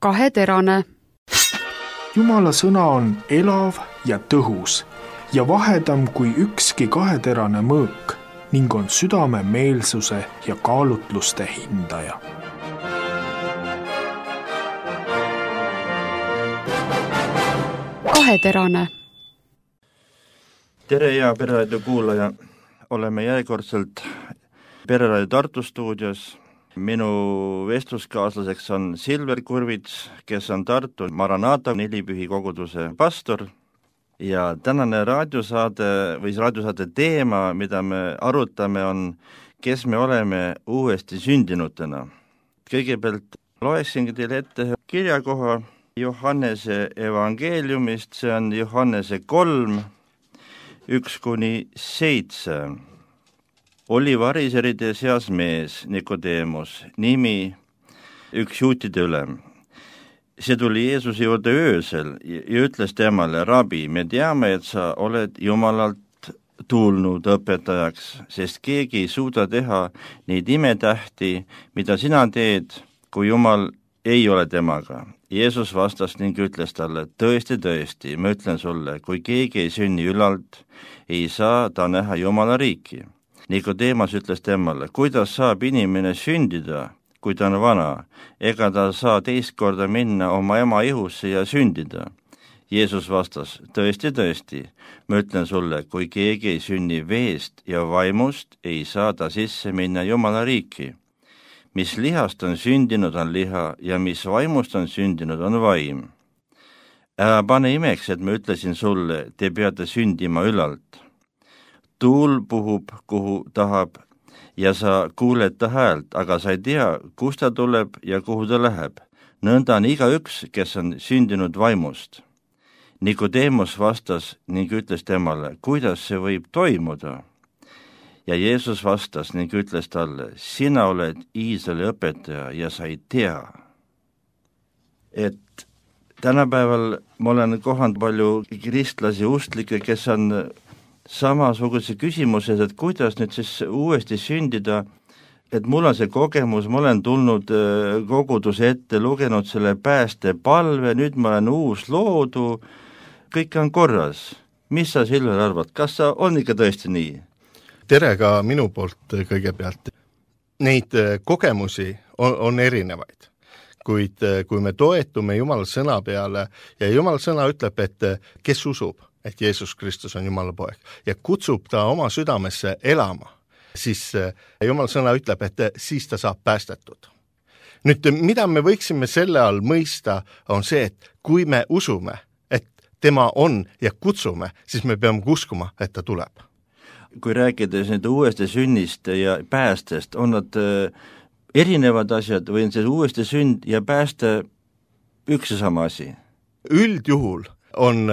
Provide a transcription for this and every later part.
kaheterane. Jumala sõna on elav ja tõhus ja vahedam kui ükski kaheterane mõõk ning on südame meelsuse ja kaalutluste hindaja. Kaheterane. Tere ja Pereraadio kuulaja, oleme järjekordselt Pereraadio Tartu stuudios. Minu vestluskaaslaseks on Silver Kurvits, kes on Tartu Maranata nelipühi koguduse pastor ja tänane raadiosaate teema, mida me arutame, on, kes me oleme uuesti sündinutena. Kõigepealt loeksingi teile ette kirjakoha Johannese evangeeliumist, see on Johannese 3, 1-7. Oli variseride seas mees, Nikodemus, nimi üks juutide ülem. See tuli Jeesuse juurde öösel ja ütles temale, Rabi, me teame, et sa oled Jumalalt tulnud õpetajaks, sest keegi ei suuda teha neid imetähti, mida sina teed, kui Jumal ei ole temaga. Jeesus vastas ning ütles talle, tõesti, ma ütlen sulle, kui keegi ei sünni ülalt, ei saa ta näha Jumala riiki. Nikodemas ütles temale, kuidas saab inimene sündida, kui ta on vana, ega ta saa teist korda minna oma ema ihusse ja sündida. Jeesus vastas, tõesti, ma ütlen sulle, kui keegi ei sünni veest ja vaimust, ei saa ta sisse minna Jumala riiki. Mis lihast on sündinud, on liha, ja mis vaimust on sündinud, on vaim. Ära pane imeks, et ma ütlesin sulle, te peate sündima ülalt. Tuul puhub, kuhu tahab, ja sa kuuled ta häält, aga sa ei tea, kust ta tuleb ja kuhu ta läheb. Nõnda on igaüks, kes on sündinud vaimust. Nikodemus vastas ning ütles temale, kuidas see võib toimuda? Ja Jeesus vastas ning ütles talle, sina oled Iisraeli õpetaja ja sa ei tea. Et tänapäeval ma olen kohanud palju kristlasi ustlikke, kes on samasuguse küsimuses, et kuidas nüüd siis uuesti sündida, et mul on see kogemus, ma olen tulnud koguduse ette, lugenud selle päästepalve, nüüd ma olen uus loodu, kõik on korras. Mis sa, Silver, arvad, kas sa on ikka tõesti nii? Tere ka minu poolt kõigepealt. Neid kogemusi on erinevaid, kuid kui me toetume Jumala sõna peale ja Jumala sõna ütleb, et kes usub, et Jeesus Kristus on Jumala poeg ja kutsub ta oma südamesse elama, siis Jumala sõna ütleb, et siis ta saab päästetud. Nüüd, mida me võiksime selle all mõista, on see, et kui me usume, et tema on ja kutsume, siis me peame uskuma, et ta tuleb. Kui rääkides nüüd uuesti sünnist ja päästest, on nad erinevad asjad või on see uuesti sünd ja pääste üks ja sama asi? Üldjuhul on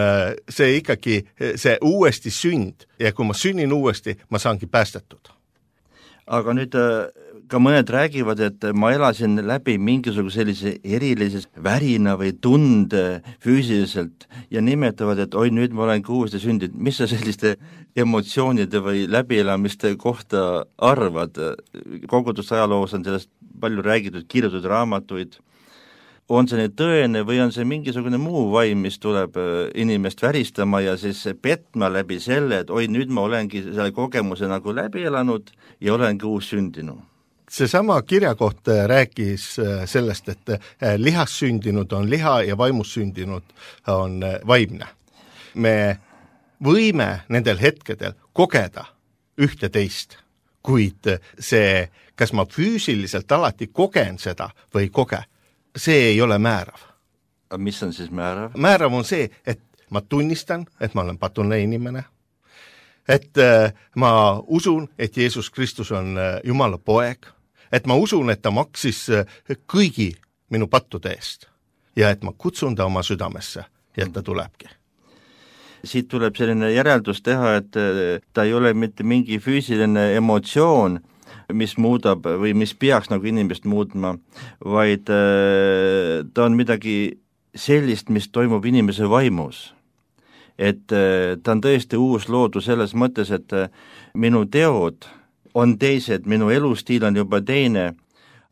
see ikkagi see uuesti sünd ja kui ma sünnin uuesti, ma saangi päästetud. Aga nüüd ka mõned räägivad, et ma elasin läbi mingisuguse sellise erilise värina või tunde füüsiliselt ja nimetavad, et oi, nüüd ma olen uuesti sündinud. Mis sa selliste emotsioonide või läbielamiste kohta arvad? Koguduse ajaloos on sellest palju räägitud, kirjutatud raamatuid. On see nüüd tõene või on see mingisugune muu vaim, mis tuleb inimest väristama ja siis petma läbi selle, et oi, nüüd ma olengi selle kogemuse nagu läbi elanud ja olengi uus sündinu? Seesama kirjakoht rääkis sellest, et lihas sündinud on liha ja vaimus sündinud on vaimne. Me võime nendel hetkedel kogeda ühte teist, kuid see, kas ma füüsiliselt alati kogen seda või ei koge, see ei ole määrav. Mis on siis määrav? Määrav on see, et ma tunnistan, et ma olen patune inimene, et ma usun, et Jeesus Kristus on Jumala poeg, et ma usun, et ta maksis kõigi minu pattude eest ja et ma kutsun ta oma südamesse ja et ta tulebki. Siit tuleb selline järeldus teha, et ta ei ole mitte mingi füüsiline emotsioon, mis muudab või mis peaks nagu inimest muutma, vaid ta on midagi sellist, mis toimub inimese vaimus. Et ta on tõesti uus loodu selles mõttes, et minu teod on teised, minu elustiil on juba teine,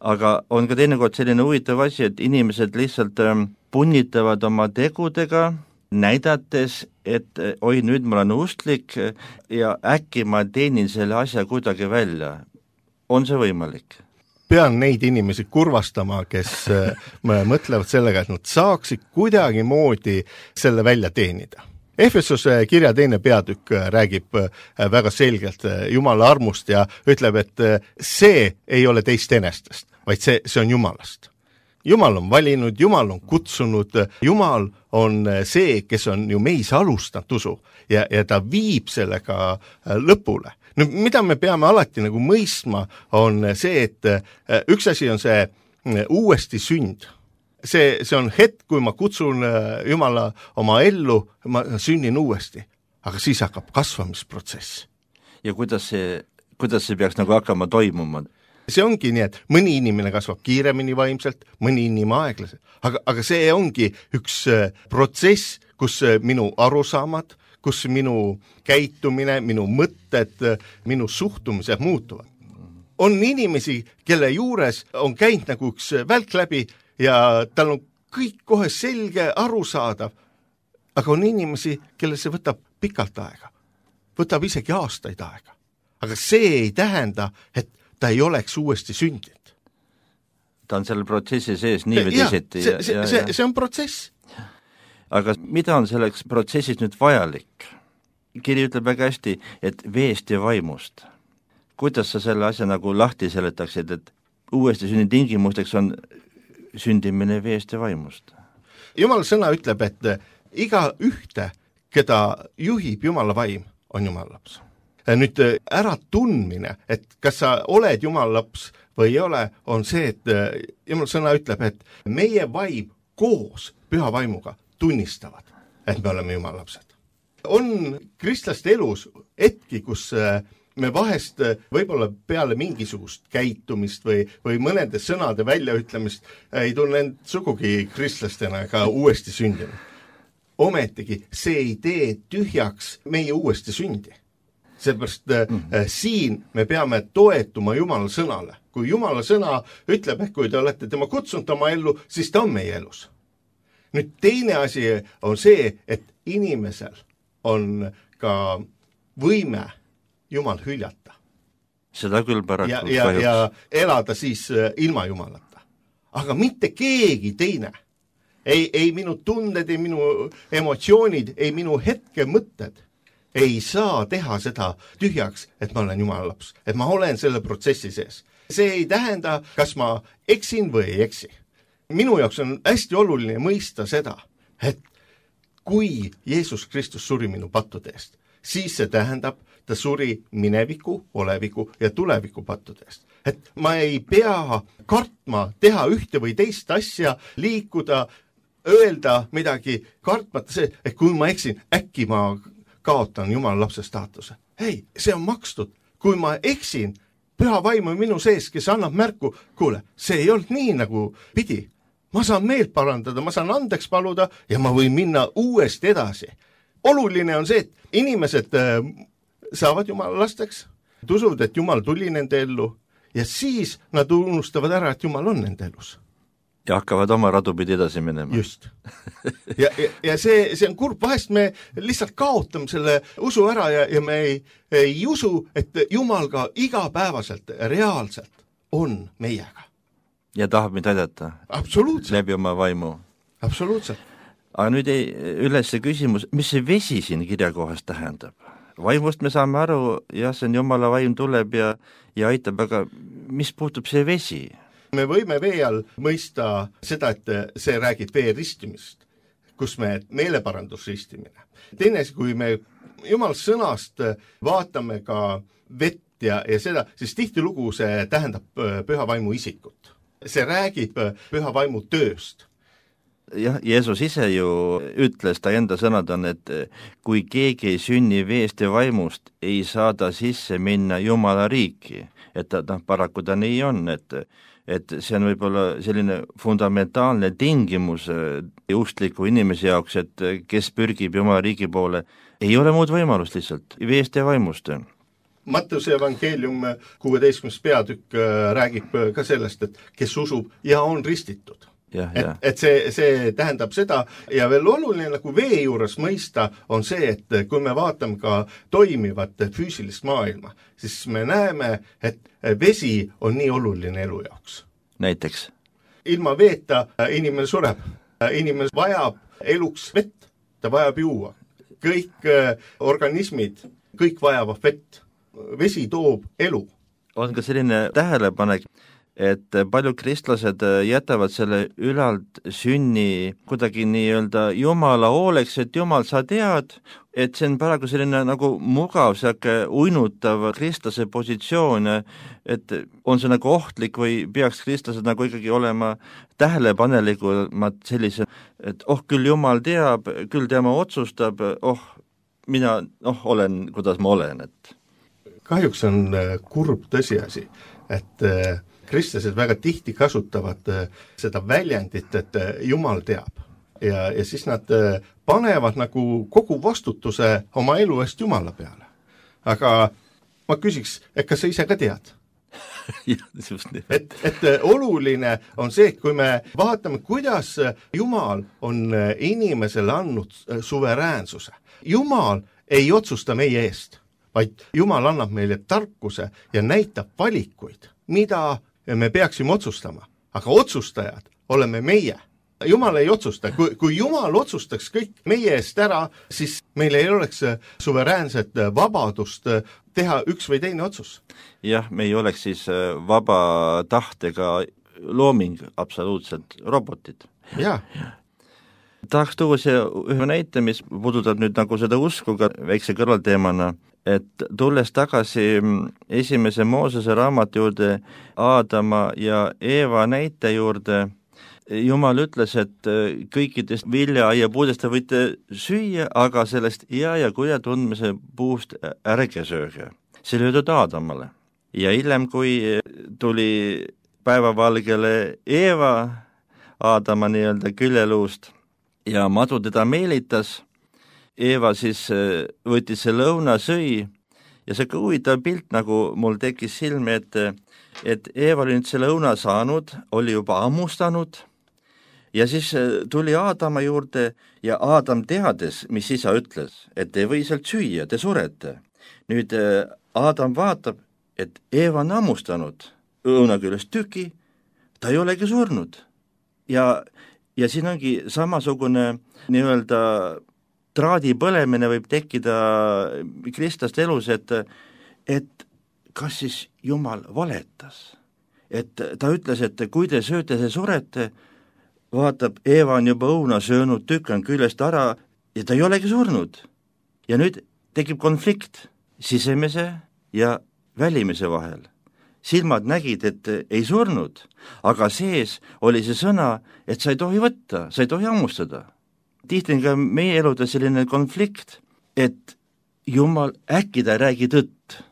aga on ka teinekord selline huvitav asi, et inimesed lihtsalt punnitavad oma tegudega, näidates, et oi, nüüd ma olen usklik ja äkki ma teenin selle asja kuidagi välja. On see võimalik? Pean neid inimesi kurvastama, kes mõtlevad sellega, et nad saaksid kuidagi moodi selle välja teenida. Efesuse kirja 2. peatükk räägib väga selgelt Jumala armust ja ütleb, et see ei ole teist enestest, vaid see on Jumalast. Jumal on valinud, Jumal on kutsunud, Jumal on see, kes on ju meis alustanud usu ja ta viib sellega lõpule. Nüüd, mida me peame alati nagu mõistma, on see, et üks asi on see uuesti sünd. See on hetk, kui ma kutsun Jumala oma ellu, ma sünnin uuesti, aga siis hakkab kasvamisprotsess. Ja kuidas see peaks nagu hakkama toimuma? See ongi nii, et mõni inimene kasvab kiiremini vaimselt, mõni inimene aeglaselt, aga see ongi üks protsess, kus minu arusaamad, kus minu käitumine, minu mõtted, minu suhtumised muutuvad. On inimesi, kelle juures on käinud nagu üks välk läbi ja tal on kõik kohe selge, arusaadav, aga on inimesi, kelle see võtab pikalt aega, võtab isegi aastaid aega. Aga see ei tähenda, et ta ei oleks uuesti sündinud. Ta on selle protsessi sees nii või teisiti. See on protsess. Aga mida on selleks protsessis nüüd vajalik? Kiri ütleb väga hästi, et veest ja vaimust. Kuidas sa selle asja nagu lahti seletaksid, et uuesti sünni tingimusteks on sündimine veest ja vaimust? Jumala sõna ütleb, et iga ühte, keda juhib Jumala vaim, on Jumala laps. Nüüd ära tundmine, et kas sa oled Jumala laps või ei ole, on see, et Jumala sõna ütleb, et meie vaim koos püha vaimuga tunnistavad, et me oleme Jumala lapsed. On kristlaste elus hetki, kus me vahest võib-olla peale mingisugust käitumist või mõnede sõnade väljaütlemist ei tunne end sugugi kristlastena ega uuesti sündinud. Ometigi see ei tee tühjaks meie uuesti sündi. Seepärast siin me peame toetuma Jumala sõnale. Kui Jumala sõna ütleb, et kui te olete tema kutsunud oma ellu, siis ta on meie elus. Nüüd teine asi on see, et inimesel on ka võime Jumal hüljata. Seda küll paraku ja elada siis ilma Jumalata. Aga mitte keegi teine. Ei minu tunded, ei minu emotsioonid, ei minu hetke mõtted ei saa teha seda tühjaks, et ma olen Jumala laps, et ma olen selle protsessi sees. See ei tähenda, kas ma eksin või ei eksi. Minu jaoks on hästi oluline mõista seda, et kui Jeesus Kristus suri minu pattude eest, siis see tähendab, ta suri mineviku, oleviku ja tuleviku pattude eest. Et ma ei pea kartma teha ühte või teist asja, liikuda, öelda midagi, kartmata see, et kui ma eksin, äkki ma kaotan Jumala lapse staatuse. Ei, see on makstud. Kui ma eksin, püha vaim on minu sees, kes annab märku, kuule, see ei olnud nii nagu pidi. Ma saan meelt parandada, ma saan andeks paluda ja ma võin minna uuesti edasi. Oluline on see, et inimesed saavad Jumala lasteks, usuvad, et Jumal tuli nende ellu ja siis nad unustavad ära, et Jumal on nende elus. Ja hakkavad oma radupidi edasi minema. Just. Ja see on kurb, vahest me lihtsalt kaotame selle usu ära ja me ei usu, et Jumal ka igapäevaselt, reaalselt on meiega. Ja tahab meid aidata. Absoluutselt. Läbi oma vaimu. Absoluutselt. Aga nüüd üles see küsimus, mis see vesi siin kirjakohas tähendab? Vaimust me saame aru, jah, see on Jumala vaim tuleb ja aitab, aga mis puutub see vesi? Me võime vee all mõista seda, et see räägib vee ristimist, kus me meeleparandusristimine. Teine, kui me Jumala sõnast vaatame ka vett ja seda, siis tihtilugu see tähendab püha vaimu isikut. See räägib püha vaimu tööst. Jah, Jeesus ise ju ütles, ta enda sõnad on, et kui keegi ei sünni veest ja vaimust, ei saa ta sisse minna Jumala riiki. Et paraku ta nii on, et see on võib-olla selline fundamentaalne tingimus uskliku inimese jaoks, et kes pürgib Jumala riigi poole, ei ole muud võimalust lihtsalt, veest ja vaimust. Mattuse evangeelium 16. peatükk räägib ka sellest, et kes usub ja on ristitud. Et see tähendab seda ja veel oluline nagu vee juures mõista on see, et kui me vaatame ka toimivat füüsilist maailma, siis me näeme, et vesi on nii oluline elu jaoks. Näiteks? Ilma veeta inimene sureb. Inimene vajab eluks vett, ta vajab juua. Kõik organismid, kõik vajavad vett. Vesi toob elu. On ka selline tähelepanek, et paljud kristlased jätavad selle ülalt sünni kuidagi nii-öelda Jumala hooleks, et Jumal, sa tead, et see on praegu selline nagu mugav, uinutav kristlase positsioon, et on see nagu ohtlik või peaks kristlased nagu ikkagi olema tähelepanelikumad sellise, et küll Jumal teab, küll tema otsustab, mina olen, kuidas ma olen. Et kahjuks on kurb tõsiasi, et kristlased väga tihti kasutavad seda väljendit, et Jumal teab. Ja siis nad panevad nagu kogu vastutuse oma elu eest Jumala peale. Aga ma küsiks, et kas sa ise ka tead? et oluline on see, et kui me vaatame, kuidas Jumal on inimesele andnud suveräänsuse. Jumal ei otsusta meie eest, vaid Jumal annab meile tarkuse ja näitab valikuid, mida me peaksime otsustama, aga otsustajad oleme meie. Jumal ei otsusta. Kui Jumal otsustaks kõik meie eest ära, siis meil ei oleks suveräänset vabadust teha üks või teine otsus. Jah, me ei oleks siis vaba tahtega looming, absoluutselt robotid. Jah. Tahaks tuua ühe näite, mis puudutab nüüd nagu seda usku ka väikse kõrvalteemana, et tulles tagasi esimese Moosese raamatu juurde, Aadama ja Eeva näite juurde, Jumal ütles, et kõikidest viljaaia-puudest te võite süüa, aga sellest hea ja kurja tundmise puust ärge sööge. See löödud Aadamale. Ja hiljem, kui tuli päevavalgele Eeva Aadama nii-öelda küljeluust ja madu teda meelitas, Eeva siis võttis see lõuna, sõi ja see ka huvitav pilt, nagu mul tekkis silme, et Eeva oli nüüd see lõuna saanud, oli juba ammustanud ja siis tuli Aadama juurde ja Aadam teades, mis isa ütles, et te ei või sealt süüa, te surete. Nüüd Aadam vaatab, et Eeva on ammustanud lõuna küljest tüki, ta ei olegi surnud. Ja siin ongi samasugune nii-öelda traadi põlemine võib tekkida kristlaste elus, et kas siis Jumal valetas. Et ta ütles, et kui te sööte, te surete, vaatab, Eeva on juba õuna söönud, tükk on küljest ära ja ta ei olegi surnud. Ja nüüd tekib konflikt sisemise ja välimise vahel. Silmad nägid, et ei surnud, aga sees oli see sõna, et sa ei tohi võtta, sa ei tohi ammustada. Tihti on ka meie eludes selline konflikt, et Jumal äkki ta ei räägi tõtt.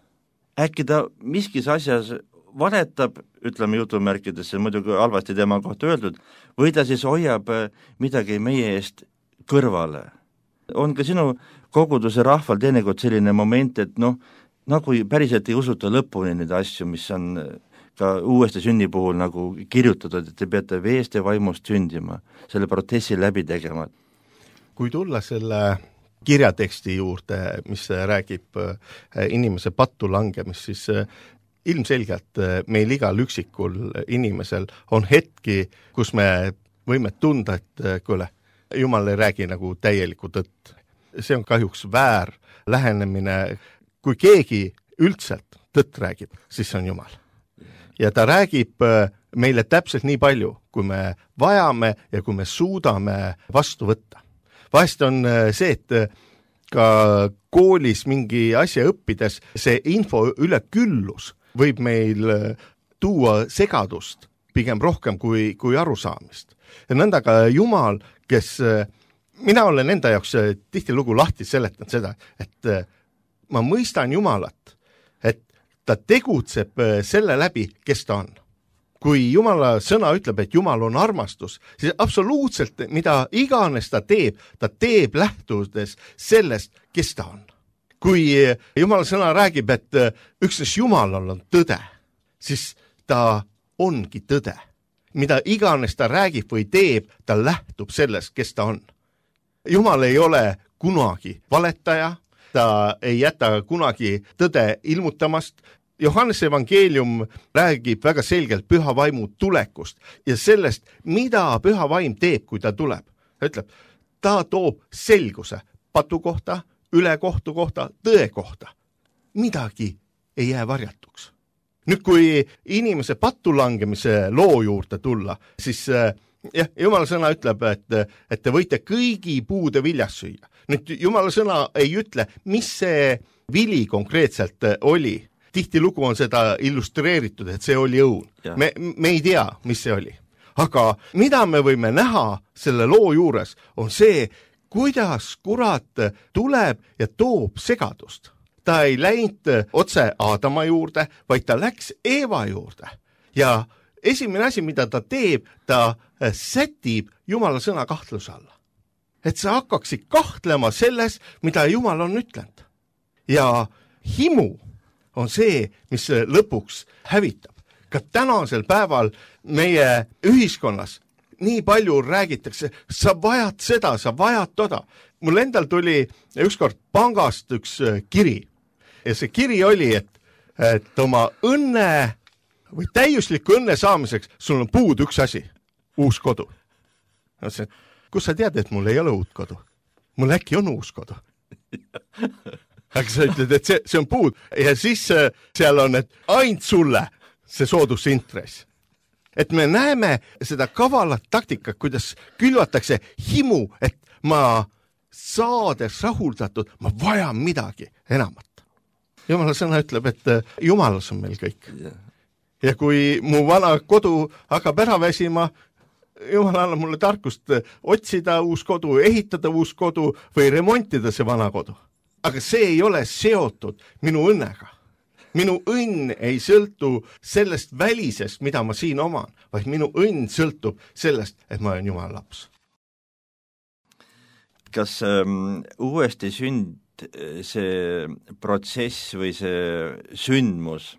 Äkki ta miskis asjas valetab, ütleme jutumärkides, see muidugi halvasti tema kohta öeldud, või ta siis hoiab midagi meie eest kõrvale. On ka sinu koguduse rahval teinekord selline moment, et nagu päriselt ei usuta lõpuni neid asju, mis on ka uuesti sünni puhul nagu kirjutatud, et te peate veest ja vaimust sündima, selle protsessi läbi tegema. Kui tulla selle kirjateksti juurde, mis räägib inimese pattu langemist, siis ilmselgelt meil igal üksikul inimesel on hetki, kus me võime tunda, et kuule, Jumal ei räägi nagu täielikku tõtt. See on kahjuks väär lähenemine. Kui keegi üldselt tõtt räägib, siis see on Jumal. Ja ta räägib meile täpselt nii palju, kui me vajame ja kui me suudame vastu võtta. Vahest on see, et ka koolis mingi asja õppides see info üleküllus võib meil tuua segadust pigem rohkem kui arusaamist. Ja nõnda ka Jumal, kes, mina olen enda jaoks tihtilugu lahti seletanud seda, et ma mõistan Jumalat, et ta tegutseb selle läbi, kes ta on. Kui Jumala sõna ütleb, et Jumal on armastus, siis absoluutselt mida iganes ta teeb lähtudes sellest, kes ta on. kui Jumala sõna räägib, et üksnes Jumalal on tõde, siis ta ongi tõde. Mida iganes ta räägib või teeb, ta lähtub sellest, kes ta on. Jumal ei ole kunagi valetaja, ta ei jäta kunagi tõde ilmutamast. Johannese evangeelium räägib väga selgelt püha vaimu tulekust ja sellest, mida püha vaim teeb, kui ta tuleb. Ta ütleb, ta toob selguse patu kohta, ülekohtu kohta, tõe kohta. Midagi ei jää varjatuks. Nüüd, kui inimese pattu langemise loo juurde tulla, siis Jumala sõna ütleb, et te võite kõigi puude viljas süüa. Nüüd, Jumala sõna ei ütle, mis see vili konkreetselt oli. Tihtilugu on seda illustreeritud, et see oli õun. Me ei tea, mis see oli. Aga mida me võime näha selle loo juures, on see, kuidas kurat tuleb ja toob segadust. Ta ei läinud otse Aadama juurde, vaid ta läks Eeva juurde. Ja esimene asi, mida ta teeb, ta sätib Jumala sõna kahtluse alla. Et sa hakkaksid kahtlema selles, mida Jumal on ütlenud. Ja himu on see, mis lõpuks hävitab. Ka tänasel päeval meie ühiskonnas nii palju räägitakse, sa vajad seda, sa vajad toda. Mul endal tuli ükskord pangast üks kiri. Ja see kiri oli, et oma õnne või täiusliku õnne saamiseks sul on puud üks asi, uus kodu. Kus sa tead, et mul ei ole uut kodu? Mul äkki on uus kodu. Aga sa ütled, et see on puud ja siis seal on, et ainult sulle see soodusintress. Et me näeme seda kavalat taktikat, kuidas külvatakse himu, et ma saades rahuldatud, ma vajan midagi enamat. Jumala sõna ütleb, et Jumalas on meil kõik. Ja kui mu vana kodu hakkab ära väsima, Jumal annab mulle tarkust otsida uus kodu, ehitada uus kodu või remontida see vana kodu. Aga see ei ole seotud minu õnnega. Minu õnn ei sõltu sellest välisest, mida ma siin oman, vaid minu õnn sõltub sellest, et ma olen Jumala laps. Kas uuesti sünd, see protsess või see sündmus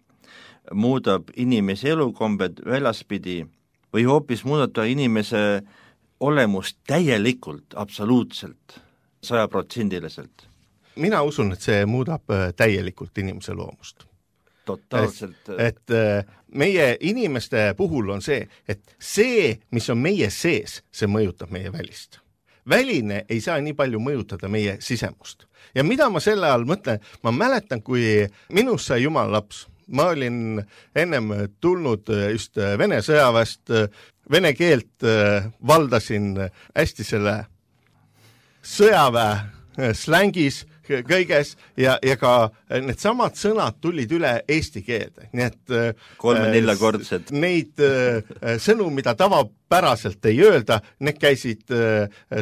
muudab inimese elukombed välaspidi või hoopis muudab inimese olemust täielikult, absoluutselt, 100%? Mina usun, et see muudab täielikult inimese loomust. Totaalselt. Et meie inimeste puhul on see, et see, mis on meie sees, see mõjutab meie välist. Väline ei saa nii palju mõjutada meie sisemust. Ja mida ma selle all mõtlen? Ma mäletan, kui minust sai Jumala laps. Ma olin ennem tulnud just Vene sõjaväest, vene keelt valdasin hästi selle sõjaväe slängis kõiges ja ka need samad sõnad tulid üle eesti keelde. Nii et 3-4 kordsed. Neid sõnu, mida tavapäraselt ei öelda, need käisid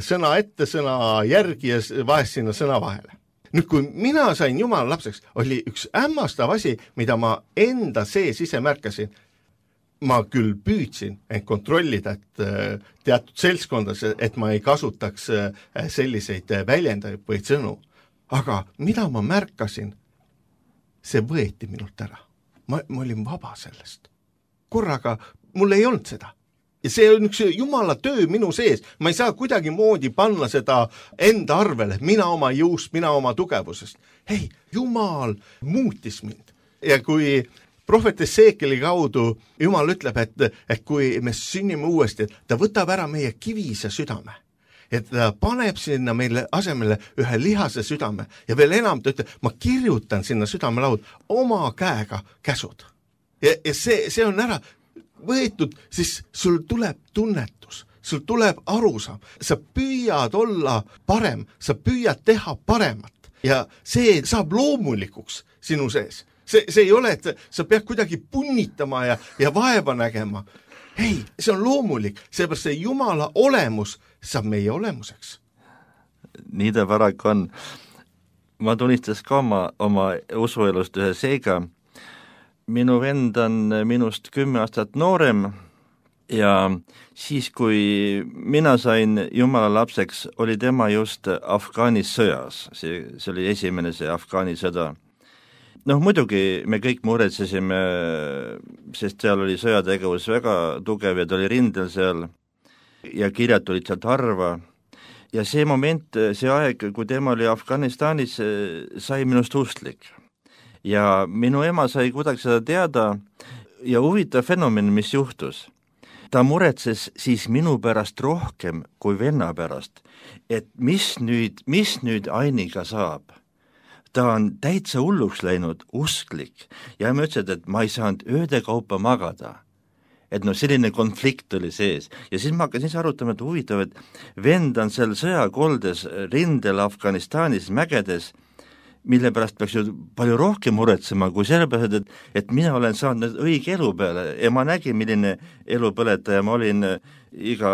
sõna ette, sõna järgi ja vahest sinna sõna vahele. Nüüd, kui mina sain Jumala lapseks, oli üks hämmastav asi, mida ma enda sees ise märkasin. Ma küll püüdsin end kontrollida, et teatud seltskondas, et ma ei kasutaks selliseid väljendajaid või sõnu. Aga mida ma märkasin, see võeti minult ära. Ma olin vaba sellest. Korraga mul ei olnud seda. Ja see on üks Jumala töö minu sees. Ma ei saa kuidagi moodi panna seda enda arvele, mina oma jõust, mina oma tugevusest. Hei, Jumal muutis mind. Ja kui prohvet Esekieli kaudu Jumal ütleb, et kui me sünnime uuesti, ta võtab ära meie kivise südame. Et ta paneb sinna meile asemele ühe lihase südame. Ja veel enam ta ütleb, ma kirjutan sinna südamelaud oma käega käsud. Ja see on ära võetud, siis sul tuleb tunnetus, sul tuleb arusaam. Sa püüad olla parem, sa püüad teha paremat ja see saab loomulikuks sinu sees. See ei ole, et sa pead kuidagi punnitama ja vaeva nägema. Hei, see on loomulik, seepärast see Jumala olemus saab meie olemuseks. Nii ta paraku on. Ma tunnistas ka oma usuelust ühe seega. Minu vend on minust 10 aastat noorem ja siis, kui mina sain Jumala lapseks, oli tema just Afgaanis sõjas, see oli esimene see Afgaani sõda. Muidugi me kõik muretsesime, sest seal oli sõjategevus väga tugev ja ta oli rindel seal ja kirjad tulid sealt harva. Ja see moment, see aeg, kui tema oli Afganistanis, sai minust usklik. Ja minu ema sai kuidagi seda teada ja huvitav fenomen, mis juhtus. Ta muretses siis minu pärast rohkem kui venna pärast, et mis nüüd Ainiga saab. Ta on täitsa hulluks läinud, usklik, ja ma ütlesin, et ma ei saanud ööde kaupa magada. Et selline konflikt oli sees. Ja siis ma hakkasin arutama, et huvitav, et vend on seal sõjakoldes rindel Afganistanis mägedes, mille pärast peaks ju palju rohkem muretsema, kui sellepärast, et mina olen saanud õige elu peale ja ma nägin, milline elupõletaja ma olin iga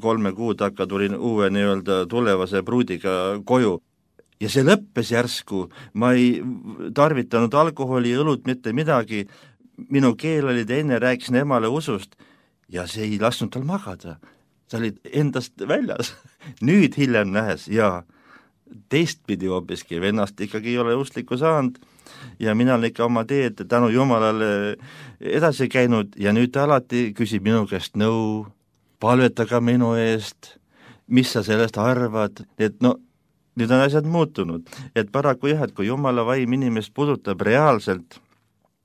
3 kuu takka tulin uue tulevase pruudiga koju. Ja see lõppes järsku, ma ei tarvitanud alkoholi ja õlut mitte midagi, minu keel oli enne, rääkisin emale usust ja see ei lasknud tal magada. Ta oli endast väljas. Nüüd hiljem nähes ja teistpidi hoopiski, vennast ikkagi ei ole usklikku saanud ja mina olen ikka oma teed tänu Jumalale edasi käinud ja nüüd ta alati küsib minu käest nõu, palveta ka minu eest, mis sa sellest arvad, et nüüd on asjad muutunud, et paraku jah, et kui Jumala vaim inimest puudutab reaalselt,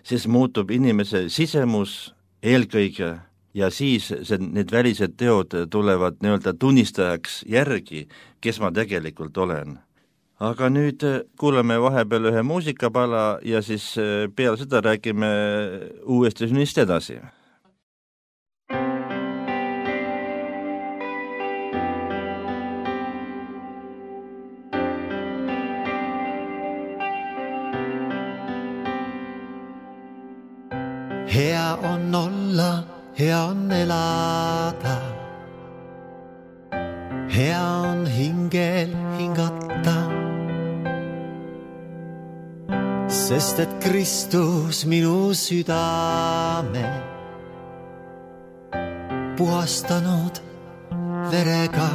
siis muutub inimese sisemus eelkõige ja siis need välised teod tulevad tunnistajaks järgi, kes ma tegelikult olen. Aga nüüd kuulame vahepeal ühe muusikapala ja siis peale seda räägime uuesti sünnist edasi. Hea on olla, hea on elada. Hea on hingel hingata. Sest et Kristus minu südame puhastanud verega.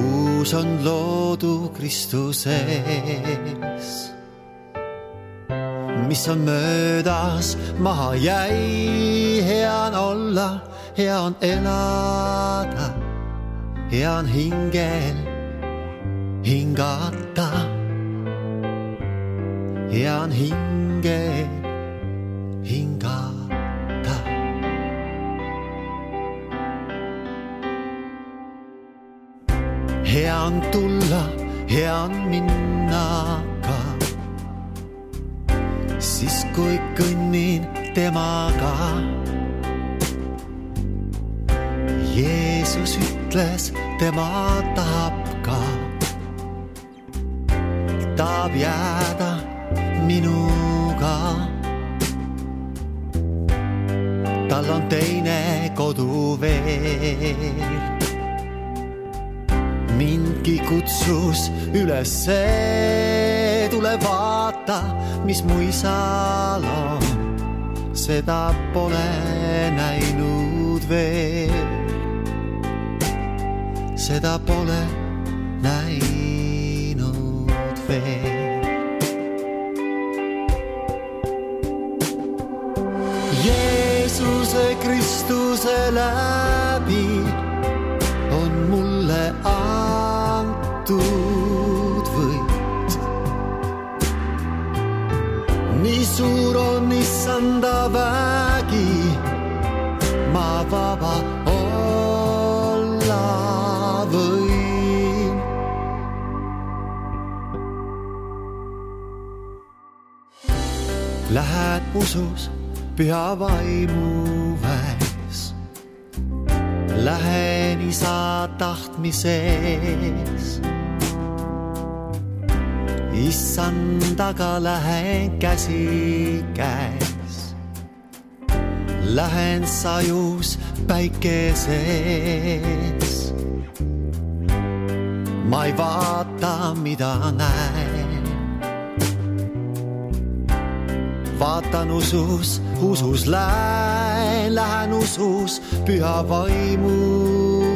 Uus on loodu Kristuses. Mis on möödas, maha jäi, hea on olla, hea on elada, hea on hingel hingata, hea on hingel hingata. Hea on tulla, hea on minna ka. Siis kui kõnnin temaga, Jeesus ütles, tema tahab ka, tahab jääda minuga. Tal on teine kodu veel, mindki kutsus üles, tule vaata, mis mu isal on, seda pole näinud veel, seda pole näinud veel. Jeesuse Kristuse läbi on mulle antud võit. Nii suur on issanda vägi, ma vaba olla võin. Lähed usus püha vaimu väes, lähen isa tahtmises. Issandaga lähen käsi käes, lähen sajus päikeses. Ma ei vaata, mida näen, vaatan usus lähen usus püha vaimu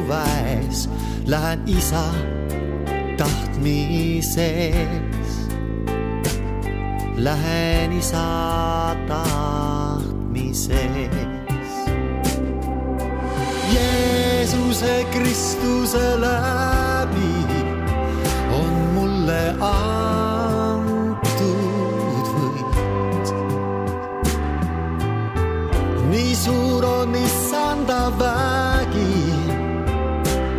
väes, lähen isa tahtmises, lähen isa tahtmises. Jeesuse Kristuse läbi on mulle antud võit. Nii suur on issanda vägi,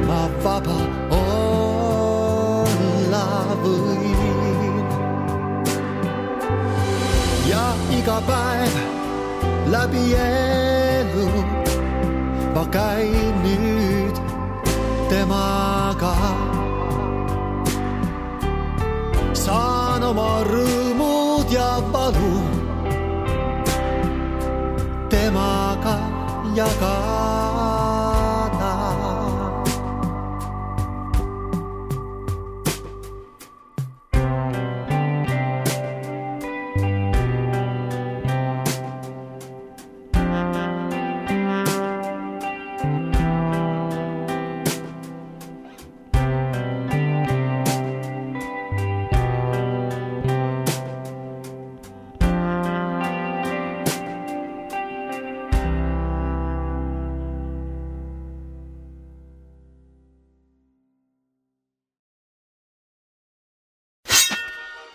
ma vaba olla võin. Ja iga päev läbi elu ma käin nüüd temaga. Saan oma rõõmud ja valu temaga jagada.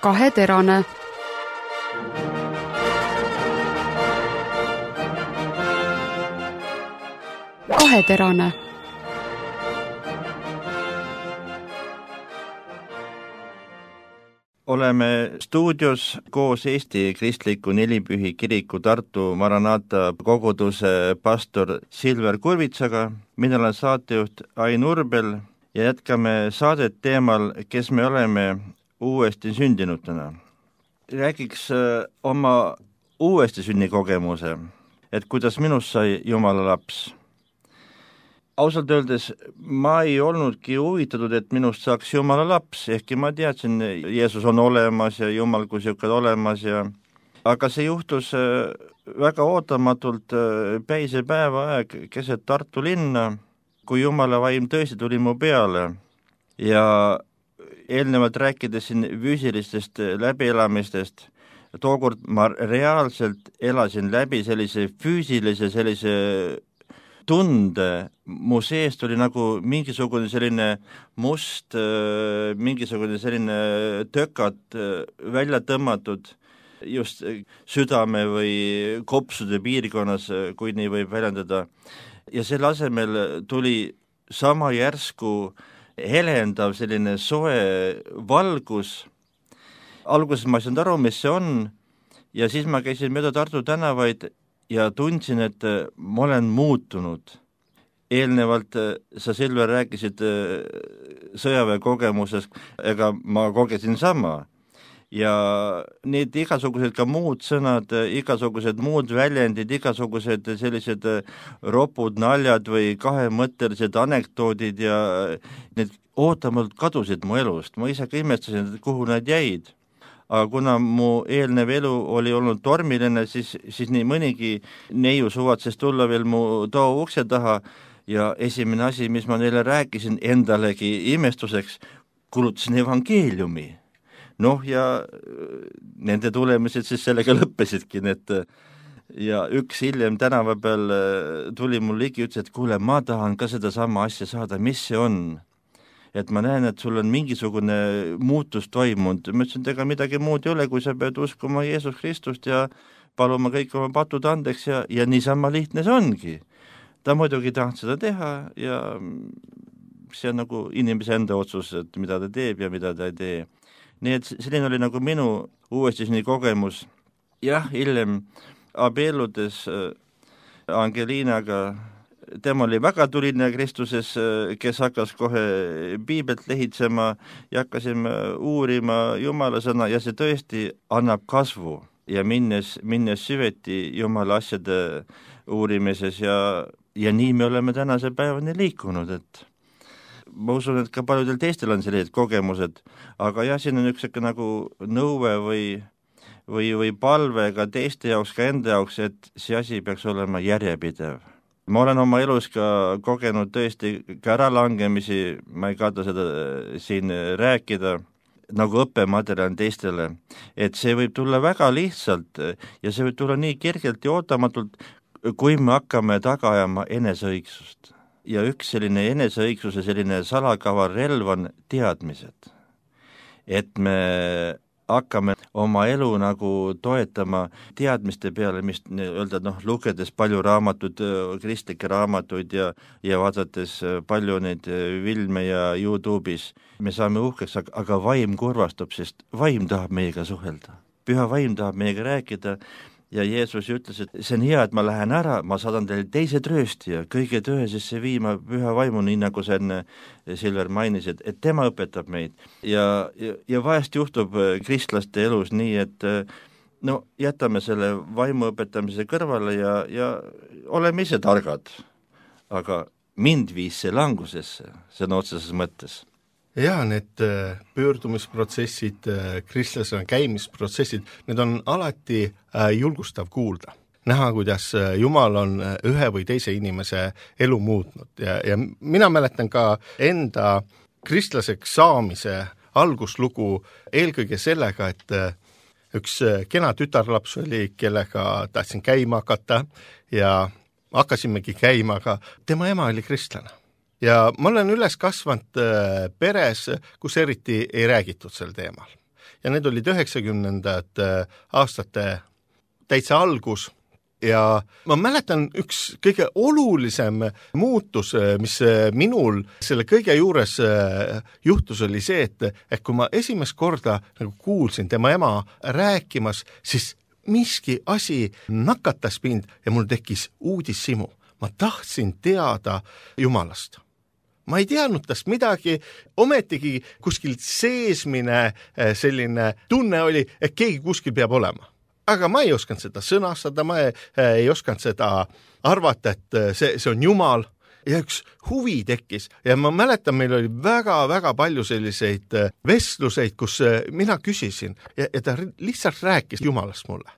Kaheterane. Kaheterane. Oleme stuudios koos Eesti Kristliku Nelipühi Kiriku Tartu Maranata koguduse pastor Silver Kurvitsaga. Mina olen saatejuht Ain Urbel ja jätkame saadet teemal, kes me oleme uuesti sündinutena. Räägiks oma uuesti sünnikogemuse, et kuidas minust sai Jumala laps. Ausalt öeldes ma ei olnudki huvitatud, et minust saaks Jumala laps, ehkki ma teadsin, Jeesus on olemas ja Jumal kui siuke olemas ja aga see juhtus väga ootamatult päise päeva aeg keset Tartu linna, kui Jumala vaim tõesti tuli mu peale ja eelnevalt rääkides siin füüsilistest läbielamistest, tookord ma reaalselt elasin läbi sellise füüsilise tunde, mu seest oli nagu mingisugune selline must, mingisugune selline tökat välja tõmmatud just südame või kopsude piirkonnas, kui nii võib väljendada. Ja selle asemel tuli sama järsku helendav selline soe valgus. Alguses ma ei saanud aru, mis see on ja siis ma käisin mööda Tartu tänavaid ja tundsin, et ma olen muutunud. Eelnevalt sa, Silver, rääkisid sõjaväekogemusest, ega ma kogesin sama. Ja need igasugused ka muud sõnad, igasugused muud väljendid, igasugused sellised ropud naljad või kahemõttelised anekdoodid ja need ootamalt kadusid mu elust. Ma ise ka imestasin, kuhu nad jäid. Aga kuna mu eelnev elu oli olnud tormiline, siis nii mõnigi neiu suvatses tulla veel mu too ukse taha ja esimene asi, mis ma neile rääkisin endalegi imestuseks, kulutasin evangeeliumi. Ja nende tulemised siis sellega lõppesidki, ja üks hiljem tänava peal tuli mul ligi ja ütles, et kuule, ma tahan ka seda sama asja saada, mis see on? Et ma näen, et sul on mingisugune muutus toimunud. Ma ütlesin, et ega midagi muud ei ole, kui sa pead uskuma Jeesus Kristust ja paluma kõik oma patud andeks ja niisama lihtne see ongi. Ta muidugi tahtnud seda teha ja see on nagu inimese enda otsus, et mida ta teeb ja mida ta ei tee. Nii et selline oli nagu minu uuesti nii kogemus. Jah, hiljem abielludes Angelinaga, tema oli väga tuline Kristuses, kes hakkas kohe piibelt lehitsema ja hakkasime uurima Jumala sõna ja see tõesti annab kasvu ja minnes süveti Jumala asjade uurimises ja nii me oleme tänase päevani liikunud, et ma usun, et ka paljudel teistel on sellised kogemused, aga jah, siin on üks nagu nõue või palve ka teiste jaoks, ka enda jaoks, et see asi peaks olema järjepidev. Ma olen oma elus ka kogenud tõesti ka äralangemisi, ma ei karda seda siin rääkida, nagu õppematerjal teistele, et see võib tulla väga lihtsalt ja see võib tulla nii kergelt ja ootamatult, kui me hakkame taga ajama eneseõigsust. Ja üks selline eneseõigsuse selline salakaval relv on teadmised. Et me hakkame oma elu nagu toetama teadmiste peale, mis öelda, lugedes palju raamatud, kristlikke raamatuid ja vaadates palju neid filme ja YouTube'is, me saame uhkeks, aga vaim kurvastub, sest vaim tahab meiega suhelda. Püha vaim tahab meiega rääkida ja Jeesus ütles, et see on hea, et ma lähen ära, ma saadan teile teise trööstija, kõige tõesesse viima püha vaimu, nii nagu see Silver mainis, et tema õpetab meid. Ja vahest juhtub kristlaste elus nii, et jätame selle vaimu õpetamise kõrvale ja oleme ise targad. Aga mind viis see langusesse, sõna otseses mõttes. Ja need pöördumisprotsessid, kristlasena käimisprotsessid, need on alati julgustav kuulda. Näha, kuidas Jumal on ühe või teise inimese elu muutnud ja mina mäletan ka enda kristlaseks saamise alguslugu eelkõige sellega, et üks kena tütarlaps oli, kellega tahtsin käima hakata ja hakkasimegi käima, aga tema ema oli kristlane. Ja ma olen üles kasvanud peres, kus eriti ei räägitud sel teemal. Ja need olid 90. aastate täitsa algus ja ma mäletan üks kõige olulisem muutus, mis minul selle kõige juures juhtus, oli see, et kui ma esimest korda nagu kuulsin tema ema rääkimas, siis miski asi nakatas mind ja mul tekkis uudishimu. Ma tahtsin teada Jumalast. Ma ei teadnud tast midagi, ometigi kuskil seesmine selline tunne oli, et keegi kuskil peab olema. Aga ma ei osanud seda sõnastada, ma ei osanud seda arvata, et see on Jumal. Ja üks huvi tekkis ja ma mäletan, meil oli väga-väga palju selliseid vestluseid, kus mina küsisin ja ta lihtsalt rääkis Jumalast mulle.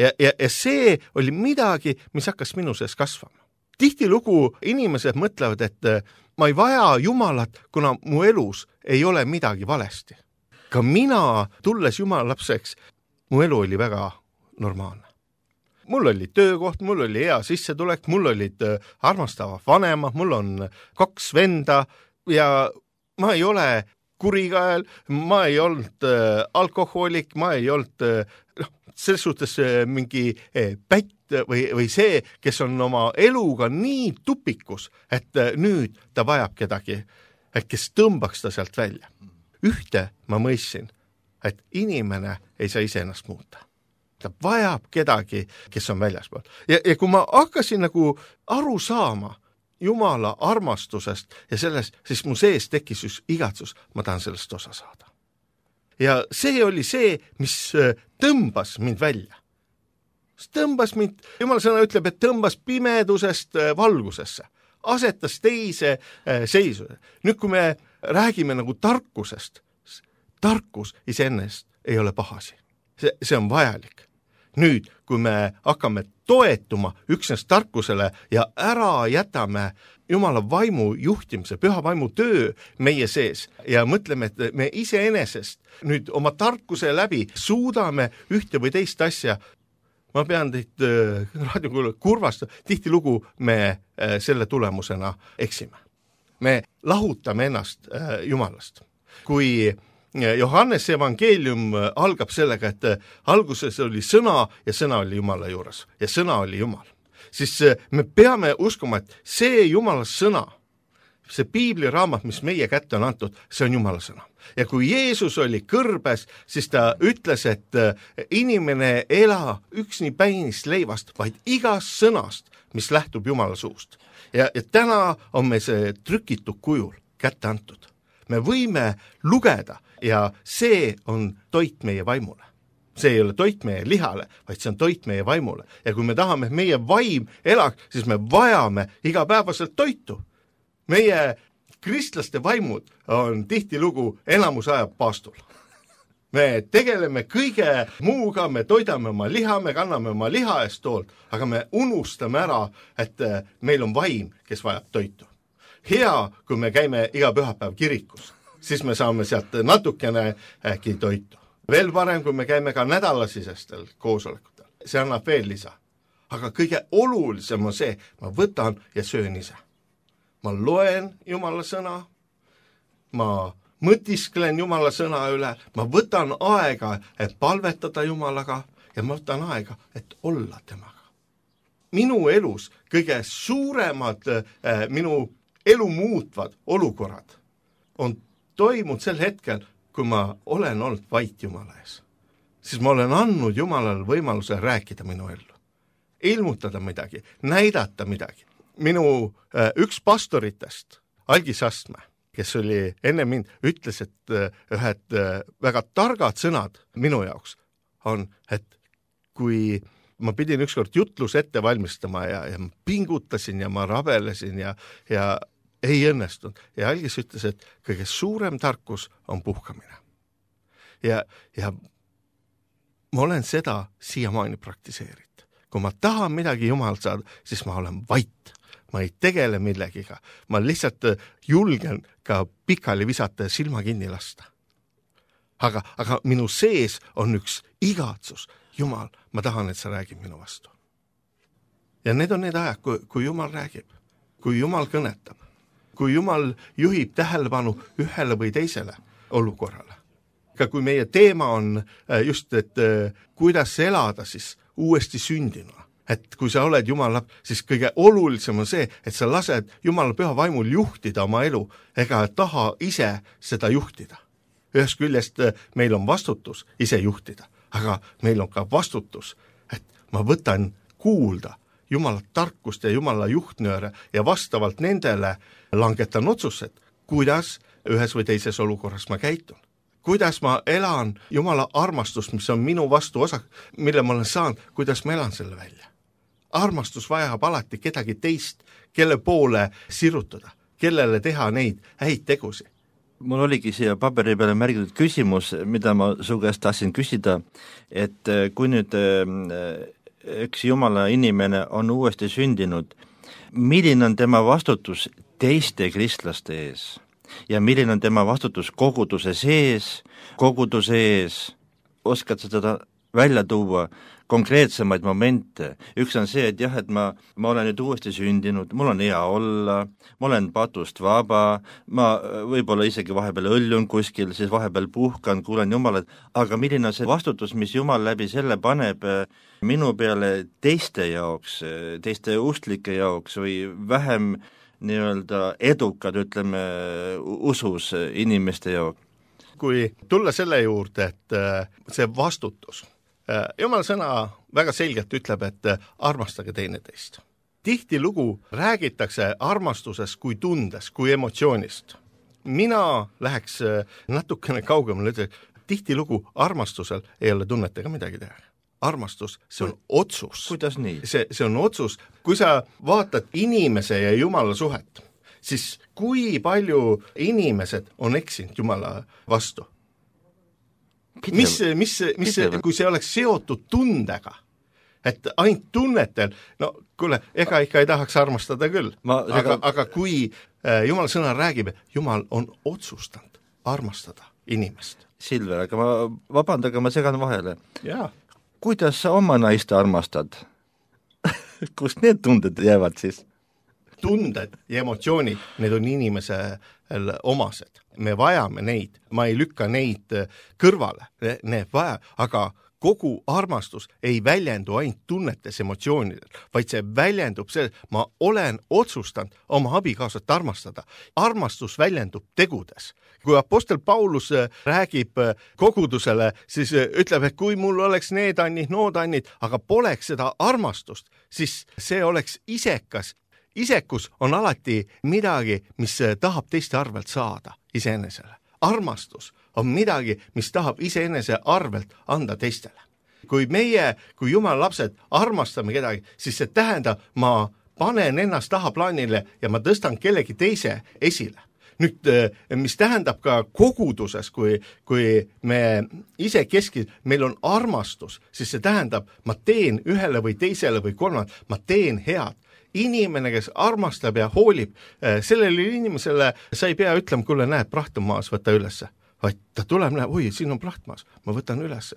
Ja see oli midagi, mis hakkas minu sees kasvama. Tihtilugu inimesed mõtlevad, et ma ei vaja Jumalat, kuna mu elus ei ole midagi valesti. Ka mina, tulles Jumala lapseks, mu elu oli väga normaalne. Mul oli töökoht, mul oli hea sissetulek, mul olid armastavad vanemad, mul on 2 venda ja ma ei ole kurikael, ma ei olnud alkohoolik, ma ei olnud selles suhtes mingi pätt või see, kes on oma eluga nii tupikus, et nüüd ta vajab kedagi, kes tõmbaks ta sealt välja. Ühte ma mõistsin, et inimene ei saa iseennast muuta. Ta vajab kedagi, kes on väljaspool. Ja kui ma hakkasin nagu aru saama Jumala armastusest ja sellest, siis mu sees tekkis just igatsus, ma tahan sellest osa saada. Ja see oli see, mis tõmbas mind välja. Tõmbas mind, Jumala sõna ütleb, et tõmbas pimedusest valgusesse, asetas teise seisu. Nüüd, kui me räägime nagu tarkusest, tarkus iseennast ei ole pahasi. See on vajalik. Nüüd, kui me hakkame toetuma üksnes tarkusele ja ära jätame Jumala vaimu juhtimise, püha vaimu töö meie sees ja mõtleme, et me iseenesest nüüd oma tarkuse läbi suudame ühte või teist asja, ma pean teid raadiokuulajad kurvastama, tihtilugu me selle tulemusena eksime. Me lahutame ennast Jumalast. Kui Johannese evangeelium algab sellega, et alguses oli sõna ja sõna oli Jumala juures ja sõna oli Jumal. Siis me peame uskuma, et see Jumala sõna, see piibliraamat, mis meie kätte on antud, see on Jumala sõna. Ja kui Jeesus oli kõrbes, siis ta ütles, et inimene ei ela üksni päinist leivast, vaid igast sõnast, mis lähtub Jumala suust. Ja täna on me see trükitud kujul kätte antud. Me võime lugeda ja see on toit meie vaimule. See ei ole toit meie lihale, vaid see on toit meie vaimule. Ja kui me tahame, et meie vaim elaks, siis me vajame igapäevaselt toitu. Meie kristlaste vaimud on tihtilugu enamus ajab paastul. me tegeleme kõige muuga, me toidame oma liha, me kanname oma liha eest hoolt, aga me unustame ära, et meil on vaim, kes vajab toitu. Hea, kui me käime iga pühapäev kirikus, siis me saame sealt natukene äkki toitu. Veel parem, kui me käime ka nädalasisestel koosolekutel. See annab veel lisa. Aga kõige olulisem on see, ma võtan ja söön ise. Ma loen Jumala sõna, ma mõtisklen Jumala sõna üle, ma võtan aega, et palvetada Jumalaga ja ma võtan aega, et olla temaga. Minu elus kõige suuremad minu elu muutvad olukorrad on toimunud sel hetkel, kui ma olen olnud vait Jumala ees. Siis ma olen andnud Jumalale võimaluse rääkida minu ellu. Ilmutada midagi, näidata midagi. Minu üks pastoritest, Algis Astmäe, kes oli enne mind, ütles, et ühed väga targad sõnad minu jaoks on, et kui ma pidin ükskord jutlus ette valmistama ja ma pingutasin ja ma rabelesin ja ei õnnestunud. Ja Algis ütles, et kõige suurem tarkus on puhkamine. Ja ma olen seda siiamaani praktiseerinud. Kui ma tahan midagi Jumalalt saada, siis ma olen vait. Ma ei tegele millegiga. Ma lihtsalt julgen ka pikali visata ja silma kinni lasta. Aga minu sees on üks igatsus. Jumal, ma tahan, et sa räägid minu vastu. Ja need on need ajad, kui Jumal räägib, kui Jumal kõnetab, kui Jumal juhib tähelepanu ühele või teisele olukorrale. Ka kui meie teema on just, et kuidas elada siis uuesti sündinuna. Et kui sa oled Jumala, siis kõige olulisem on see, et sa lased Jumala püha vaimul juhtida oma elu, ega taha ise seda juhtida. Ühest küljest meil on vastutus ise juhtida, aga meil on ka vastutus, et ma võtan kuulda Jumala tarkust ja Jumala juhtnööre ja vastavalt nendele langetan otsused, kuidas ühes või teises olukorras ma käitun. Kuidas ma elan Jumala armastust, mis on minu vastu osa, mille ma olen saanud, kuidas ma elan selle välja. Armastus vajab alati kedagi teist, kelle poole sirutada, kellele teha neid häid tegusi. Mul oligi siia paberi peale märgitud küsimus, mida ma su käest tahtsin küsida, et kui nüüd üks Jumala inimene on uuesti sündinud, milline on tema vastutus teiste kristlaste ees? Ja milline on tema vastutus koguduse ees, oskad sa seda välja tuua konkreetsemaid momente? Üks on see, et jah, et ma olen nüüd uuesti sündinud, mul on hea olla, ma olen patust vaba, ma võib-olla isegi vahepeal õllun kuskil, siis vahepeal puhkan, kuulen Jumalat, aga milline on see vastutus, mis Jumal läbi selle paneb minu peale teiste jaoks, teiste usklike jaoks või vähem nii-öelda edukad, ütleme, usus inimeste jaoks? Kui tulla selle juurde, et see vastutus, Jumala sõna väga selgelt ütleb, et armastage teineteist. Tihtilugu räägitakse armastusest kui tundes, kui emotsioonist. Mina läheks natukene kaugemale, tihtilugu armastusel ei ole tunnetega midagi teha. Armastus, see on otsus. Kuidas nii? See on otsus. Kui sa vaatad inimese ja Jumala suhet, siis kui palju inimesed on eksinud Jumala vastu? Mis, kui see oleks seotud tundega, et ainult tunnetel, no kuule, ega ikka ei tahaks armastada küll. Aga kui Jumala sõna räägib, Jumal on otsustanud armastada inimest. Silver, aga vabandage, ma segan vahele. Jaa. Kuidas sa oma naist armastad? Kust need tunded jäävad siis? Tunded ja emotsioonid, need on inimesel omased. Me vajame neid, ma ei lükka neid kõrvale, need vaja, aga kogu armastus ei väljendu ainult tunnetes emotsioonidel, vaid see väljendub see, ma olen otsustanud oma abikaasat armastada. Armastus väljendub tegudes. Kui apostel Paulus räägib kogudusele, siis ütleb, et kui mul oleks need annid, nood annid, aga poleks seda armastust, siis see oleks isekas. Isekus on alati midagi, mis tahab teiste arvelt saada iseenesele. Armastus on midagi, mis tahab iseenese arvelt anda teistele. Kui Jumala lapsed armastame kedagi, siis see tähendab, ma panen ennast taha plaanile ja ma tõstan kellegi teise esile. Nüüd, mis tähendab ka koguduses, kui me ise meil on armastus, siis see tähendab, ma teen ühele või teisele või kolmand, ma teen head. Inimene, kes armastab ja hoolib, sellele inimesele sa ei pea ütlema, kuule, näed, praht on maas, võta ülesse. Vaid ta tuleb, näeb, oi, siin on praht maas, ma võtan ülesse.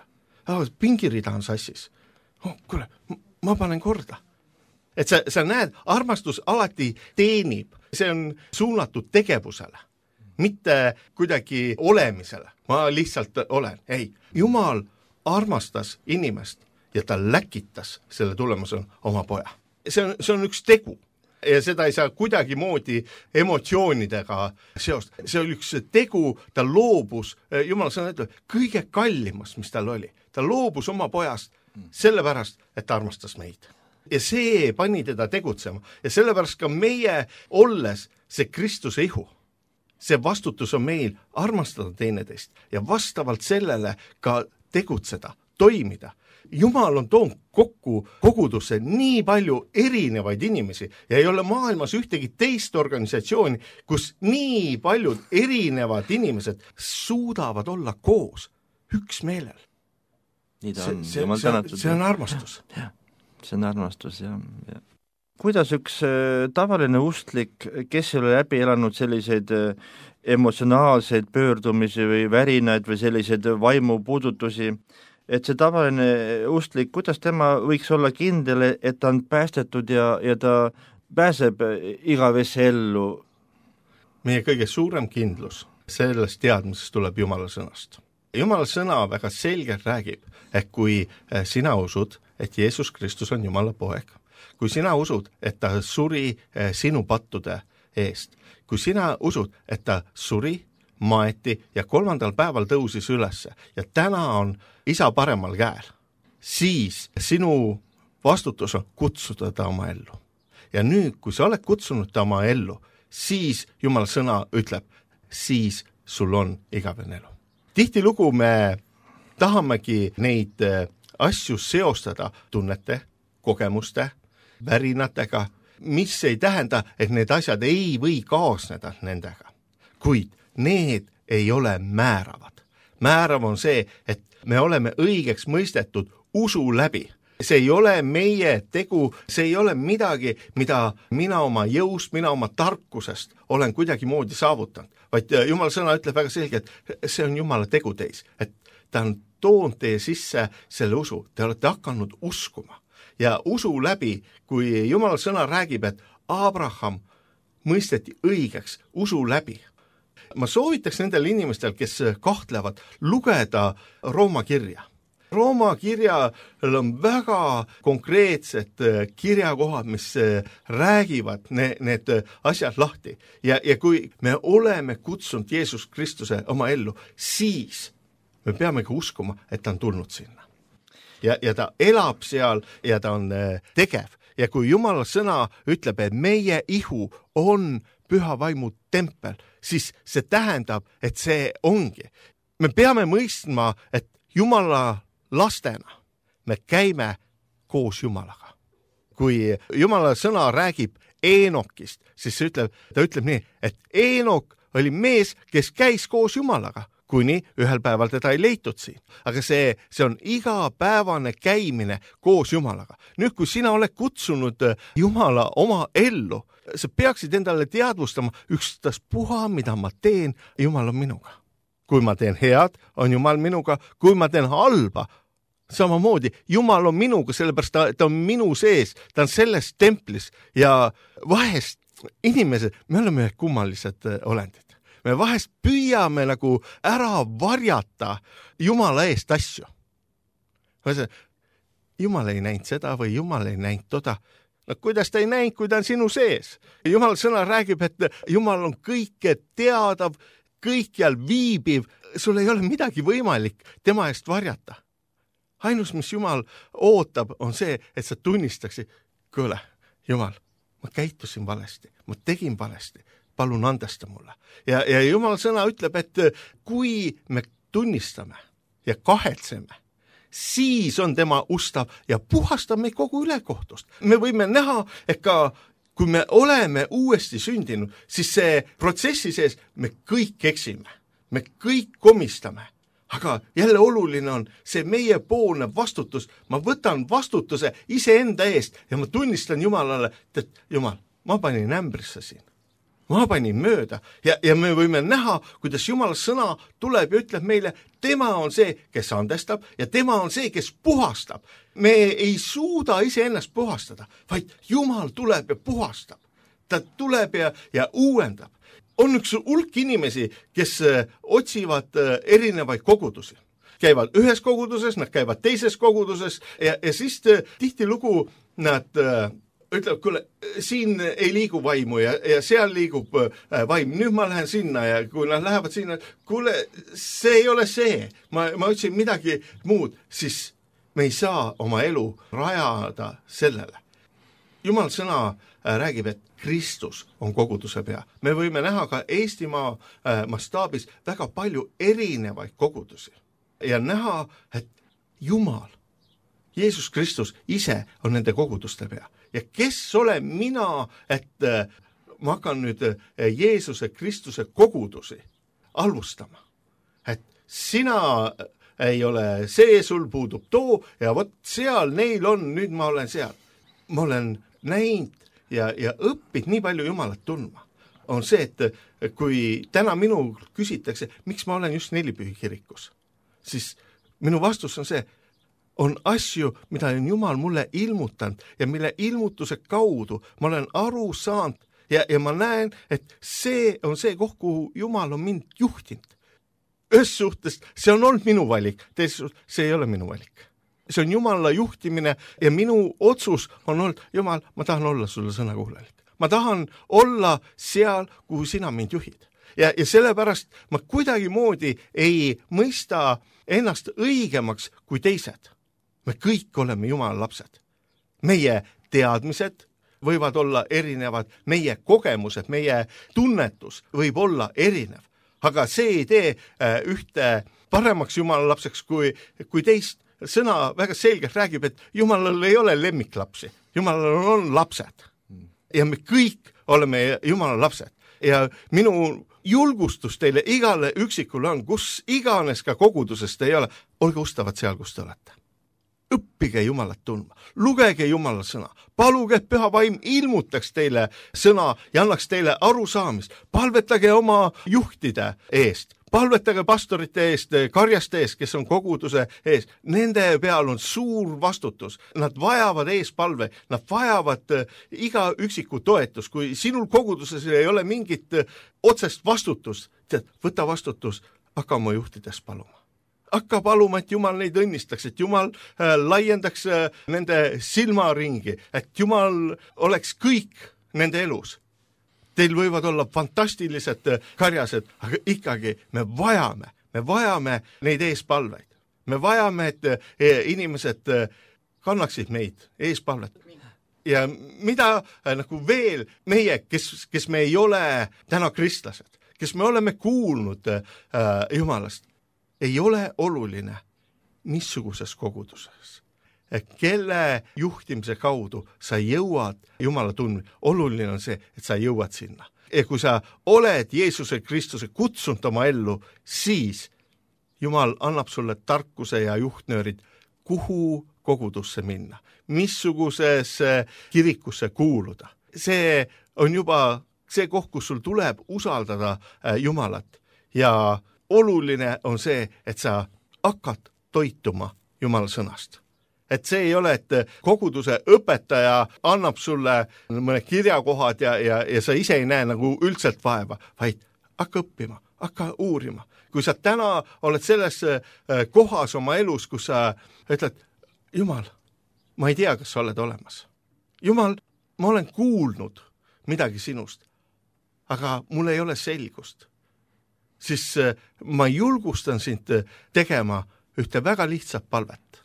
Pingirida on sassis. Kuule, ma panen korda. Et sa näed, armastus alati teenib, see on suunatud tegevusele, mitte kuidagi olemisele. Ma lihtsalt olen. Ei, Jumal armastas inimest ja ta läkitas selle tulemusena oma poja. See on üks tegu ja seda ei saa kuidagi moodi emotsioonidega seost. See oli üks tegu, ta loobus, Jumal sõna ütleb, kõige kallimast, mis tal oli. Ta loobus oma pojast sellepärast, et ta armastas meid. Ja see pani teda tegutsema ja sellepärast ka meie olles see Kristuse ihu. See vastutus on meil armastada teineteist ja vastavalt sellele ka tegutseda, toimida. Jumal on toonud kokku kogudusse nii palju erinevaid inimesi ja ei ole maailmas ühtegi teist organisatsiooni, kus nii paljud erinevad inimesed suudavad olla koos üksmeelel. Nii ta on. See on armastus. See on armastus, jah. Kuidas üks tavaline ustlik, kes ei ole läbi elanud selliseid emotsionaalseid pöördumisi või värinaid või selliseid vaimupuudutusi, et see tavaline ustlik, kuidas tema võiks olla kindel, et ta on päästetud ja ta pääseb igavesse ellu? Meie kõige suurem kindlus sellest teadmisest tuleb Jumala sõnast. Jumala sõna väga selgelt räägib, et kui sina usud, et Jeesus Kristus on Jumala poeg, kui sina usud, et ta suri sinu pattude eest, kui sina usud, et ta suri, maeti ja 3. päeval tõusis ülesse ja täna on isa paremal käel, siis sinu vastutus on kutsuda ta oma ellu. Ja nüüd, kui sa oled kutsunud ta oma ellu, siis Jumala sõna ütleb, siis sul on igavene elu. Tihtilugu me tahamegi neid asju seostada tunnete, kogemuste, värinatega, mis ei tähenda, et need asjad ei või kaasneda nendega. Kuid need ei ole määravad. Määrav on see, et me oleme õigeks mõistetud usu läbi. See ei ole meie tegu, see ei ole midagi, mida mina oma jõust, mina oma tarkusest olen kuidagi moodi saavutanud. Vaid Jumala sõna ütleb väga selgelt, et see on Jumala tegu teis, et ta on toonud teie sisse selle usu. Te olete hakanud uskuma. Ja usu läbi, kui Jumala sõna räägib, et Abraham mõisteti õigeks usu läbi. Ma soovitaks nendel inimestel, kes kahtlevad, lugeda Rooma kirja. Rooma kirjal on väga konkreetsed kirjakohad, mis räägivad need asjad lahti. Ja kui me oleme kutsunud Jeesus Kristuse oma ellu, siis me peame ka uskuma, et ta on tulnud sinna. Ja ta elab seal ja ta on tegev. Ja kui Jumala sõna ütleb, et meie ihu on püha vaimu tempel, siis see tähendab, et see ongi. Me peame mõistma, et Jumala lastena me käime koos Jumalaga. Kui Jumala sõna räägib Eenokist, siis ta ütleb nii, et Eenok oli mees, kes käis koos Jumalaga, kuni ühel päeval teda ei leitud siin. Aga see on igapäevane käimine koos Jumalaga. Nüüd, kui sina oled kutsunud Jumala oma ellu, sa peaksid endale teadvustama, ükstaspuha, mida ma teen, Jumal on minuga. Kui ma teen head, on Jumal minuga, kui ma teen halba, samamoodi, Jumal on minuga, sellepärast ta on minu sees, ta on selles templis ja vahest inimesed, me oleme kummalised olendid. Me vahest püüame nagu ära varjata Jumala eest asju. Jumal ei näinud seda või Jumal ei näinud toda. No kuidas ta ei näinud, kui ta on sinu sees? Jumala sõna räägib, et Jumal on kõike teadav, kõikjal viibiv, sul ei ole midagi võimalik tema eest varjata. Ainus, mis Jumal ootab, on see, et sa tunnistaksid, kuule, Jumal, ma käitusin valesti, ma tegin valesti, palun andesta mulle. Ja Jumala sõna ütleb, et kui me tunnistame ja kahetseme, siis on tema ustav ja puhastab meid kogu ülekohtust. Me võime näha, et ka kui me oleme uuesti sündinud, siis see protsessi sees me kõik eksime, me kõik komistame. Aga jälle oluline on see meiepoolne vastutus. Ma võtan vastutuse iseenda eest ja ma tunnistan Jumalale, et Jumal, ma panin ämbrisse siin. Ma panin mööda ja me võime näha, kuidas Jumala sõna tuleb ja ütleb meile, tema on see, kes andestab ja tema on see, kes puhastab. Me ei suuda iseennast puhastada, vaid Jumal tuleb ja puhastab. Ta tuleb ja uuendab. On üks hulk inimesi, kes otsivad erinevaid kogudusi. Käivad ühes koguduses, nad käivad teises koguduses ja siis tihtilugu nad ütleb, kuule, siin ei liigu vaimu ja seal liigub vaim. Nüüd ma lähen sinna ja kui nad lähevad sinna, kuule, see ei ole see. Ma otsin midagi muud, siis me ei saa oma elu rajada sellele. Jumal sõna räägib, et Kristus on koguduse pea. Me võime näha ka Eestimaa mastaabis väga palju erinevaid kogudusi ja näha, et Jumal, Jeesus Kristus ise on nende koguduste pea. Ja kes olen mina, et ma hakkan nüüd Jeesuse Kristuse kogudusi alustama. Et sina ei ole see, sul puudub too ja vot seal neil on, nüüd ma olen seal. Ma olen näinud ja õppid nii palju Jumalat tundma. On see, et kui täna minu küsitakse, miks ma olen just Nelipühi kirikus, siis minu vastus on see, on asju, mida on Jumal mulle ilmutanud ja mille ilmutuse kaudu ma olen aru saanud ja ma näen, et see on see koht, kuhu Jumal on mind juhtinud. Ühes suhtes see on olnud minu valik, teises suhtes see ei ole minu valik. See on Jumala juhtimine ja minu otsus on olnud, Jumal, ma tahan olla sulle sõnakuulelik. Ma tahan olla seal, kuhu sina mind juhid. Ja sellepärast ma kuidagi moodi ei mõista ennast õigemaks kui teised. Me kõik oleme Jumala lapsed. Meie teadmised võivad olla erinevad, meie kogemused, meie tunnetus võib olla erinev. Aga see ei tee ühte paremaks Jumala lapseks kui teist. Sõna väga selgelt räägib, et Jumalal ei ole lemmiklapsi. Jumalal on lapsed. Ja me kõik oleme Jumala lapsed. Ja minu julgustus teile igale üksikule on, kus iganes ka kogudusest ei ole, olge ustavad seal, kus te olete. Õppige Jumalat tundma, lugege Jumala sõna, paluge, et Püha Vaim ilmutaks teile sõna ja annaks teile arusaamist, palvetage oma juhtide eest, palvetage pastorite eest, karjaste eest, kes on koguduse ees. Nende peal on suur vastutus. Nad vajavad eespalve, nad vajavad iga üksiku toetus. Kui sinul koguduses ei ole mingit otsest vastutust, võta vastutus, hakka oma juhtides paluma. Hakka paluma, et Jumal neid õnnistaks, et Jumal laiendaks nende silmaringi, et Jumal oleks kõik nende elus. Teil võivad olla fantastilised karjased, aga ikkagi me vajame neid eespalveid. Me vajame, et inimesed kannaksid meid eespalvet. Ja mida nagu veel meie, kes me ei ole täna kristlased, kes me oleme kuulnud Jumalast, ei ole oluline missuguses koguduses. Kelle juhtimise kaudu sa jõuad Jumala tundma. Oluline on see, et sa jõuad sinna. Ja kui sa oled Jeesuse Kristuse kutsunud oma ellu, siis Jumal annab sulle tarkuse ja juhtnöörid, kuhu kogudusse minna, missugusesse kirikusse kuuluda. See on juba see koht, kus sul tuleb usaldada Jumalat ja oluline on see, et sa hakkad toituma Jumala sõnast. Et see ei ole, et koguduse õpetaja annab sulle mõne kirjakohad ja sa ise ei näe nagu üldselt vaeva, vaid hakka õppima, hakka uurima. Kui sa täna oled selles kohas oma elus, kus sa ütled, Jumal, ma ei tea, kas sa oled olemas. Jumal, ma olen kuulnud midagi sinust, aga mul ei ole selgust. Siis ma julgustan sind tegema ühte väga lihtsat palvet.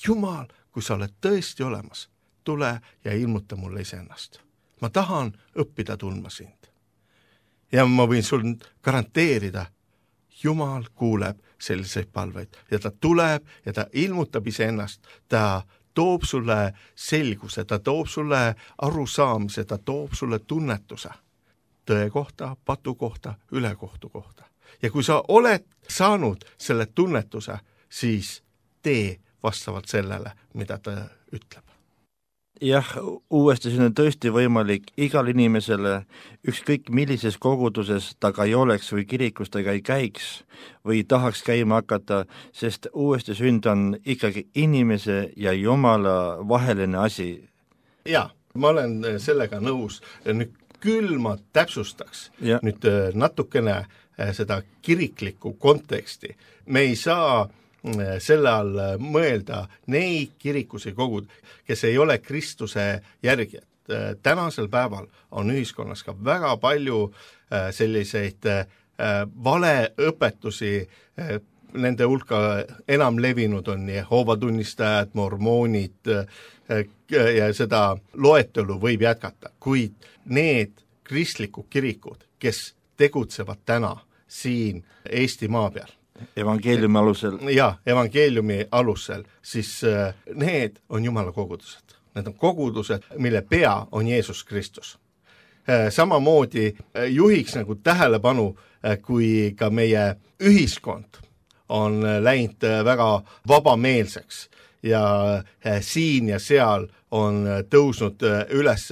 Jumal, kui sa oled tõesti olemas, tule ja ilmuta mulle iseennast. Ma tahan õppida tundma sind. Ja ma võin sul garanteerida, Jumal kuuleb selliseid palveid ja ta tuleb ja ta ilmutab iseennast, ta toob sulle selguse, ta toob sulle arusaamise, ta toob sulle tunnetuse tõe kohta, patu kohta, ülekohtu kohta. Ja kui sa oled saanud selle tunnetuse, siis tee vastavalt sellele, mida ta ütleb. Jah, uuesti siin on tõesti võimalik igal inimesele, ükskõik millises koguduses ta ka ei oleks või kirikus ta ei käiks või tahaks käima hakata, sest uuesti sünd on ikkagi inimese ja Jumala vaheline asi. Jaa, ma olen sellega nõus. Nüüd küll ma täpsustaks nüüd natukene seda kiriklikku konteksti. Me ei saa selle all mõelda neid kirikusi kogud, kes ei ole Kristuse järgijad. Tänasel päeval on ühiskonnas ka väga palju selliseid valeõpetusi, nende hulka enam levinud on Jehoova tunnistajad, mormoonid ja seda loetelu võib jätkata, kuid need kristlikud kirikud, kes tegutsevad täna siin Eesti maa peal, evangeeliumi alusel. Jaa, evangeeliumi alusel, siis need on Jumala kogudused. Need on kogudused, mille pea on Jeesus Kristus. Samamoodi juhiks nagu tähelepanu, kui ka meie ühiskond on läinud väga vabameelseks ja siin ja seal on tõusnud üles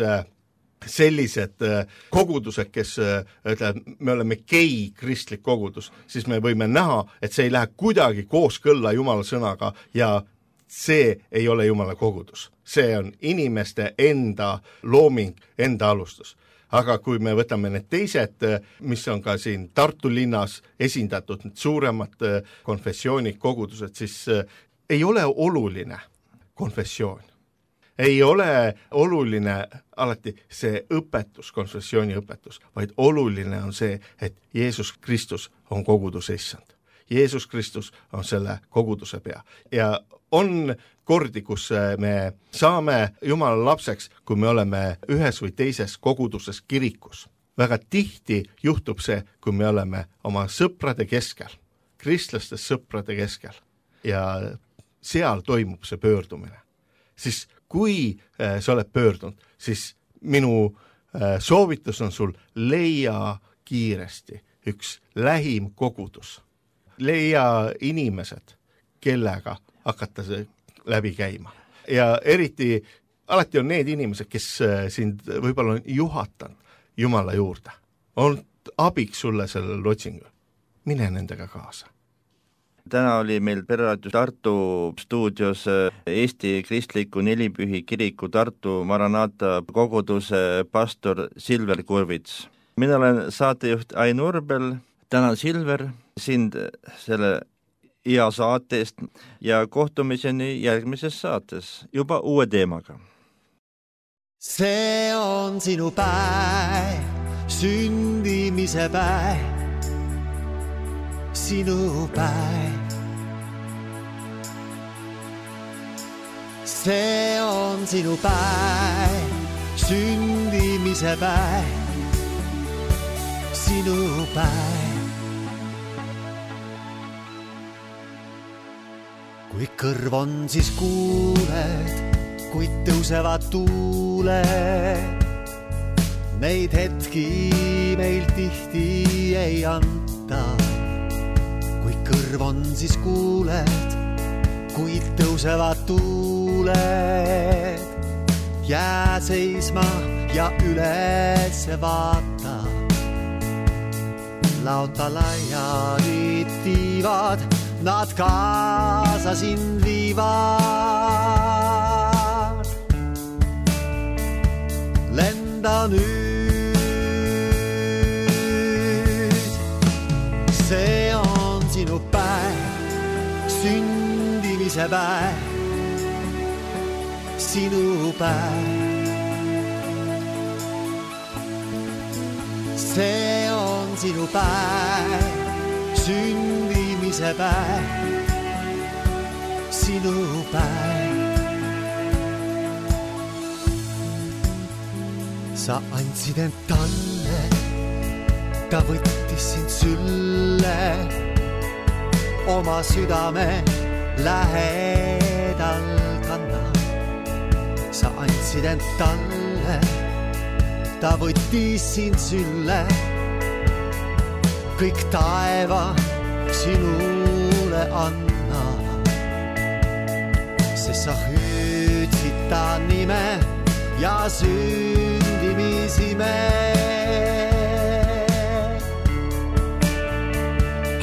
sellised kogudused, kes ütleb, me oleme gei kristlik kogudus, siis me võime näha, et see ei lähe kuidagi kooskõlla Jumala sõnaga ja see ei ole Jumala kogudus. See on inimeste enda looming, enda alustus. Aga kui me võtame need teised, mis on ka siin Tartu linnas esindatud, need suuremad konfessioonid, kogudused, siis ei ole oluline konfessioon. Ei ole oluline alati see õpetus, konfessiooni õpetus, vaid oluline on see, et Jeesus Kristus on koguduse issand. Jeesus Kristus on selle koguduse pea. Ja on kordi, kus me saame Jumala lapseks, kui me oleme ühes või teises koguduses kirikus. Väga tihti juhtub see, kui me oleme oma sõprade keskel, kristlaste sõprade keskel ja seal toimub see pöördumine. Siis kui sa oled pöördunud, siis minu soovitus on sul leia kiiresti üks lähim kogudus. Leia inimesed, kellega hakata see läbi käima. Ja eriti, alati on need inimesed, kes sind võib-olla on juhatanud Jumala juurde. On abiks sulle sellel otsingul. Mine nendega kaasa. Täna oli meil Pereraadios Tartu stuudios Eesti Kristliku Nelipühi kiriku Tartu Maranata koguduse pastor Silver Kurvits. Mina olen saatejuht Ain Urbel. Tänan Silver sind selle hea saatest ja kohtumiseni järgmises saates juba uue teemaga. See on sinu päev, sündimise päev, sinu päev. See on sinu päev, sündimise päev, sinu päev. Kui kõrv on, siis kuuled, kui tõusevad tuuled. Neid hetki meil tihti ei anta. Kui kõrv on, siis kuuled, kui tõusevad tuuled. Jää seisma ja üles vaata. Lauta laiali tiivad, nad kaasa sind viivad. Lenda nüüd, see on sinu päev, sündimise päev, sinu päev. See on sinu päev, sündimise päev, sinu päev. Sa andsid end talle, ta võttis sind sülle, oma südame lähedal kannab. sa andsid end talle, ta võttis sind sülle, kõik taeva sinule anna, sest sa hüüdsid ta nime ja sündimisime.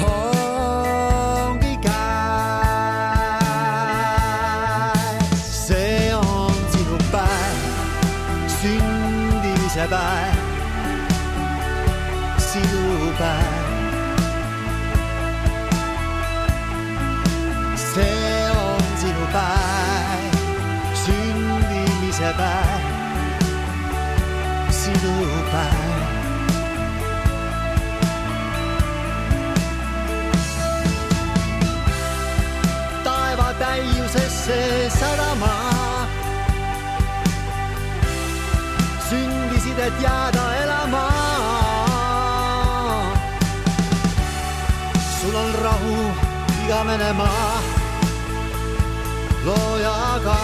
Ongi käes, see on sinu päev, sündimise päev, sinu päev. See on sinu päev, sündimise päev, sinu päev. Taeva täiusesse sadama sündisid, et jääda elama. Sul on rahu igavene maa loojaga.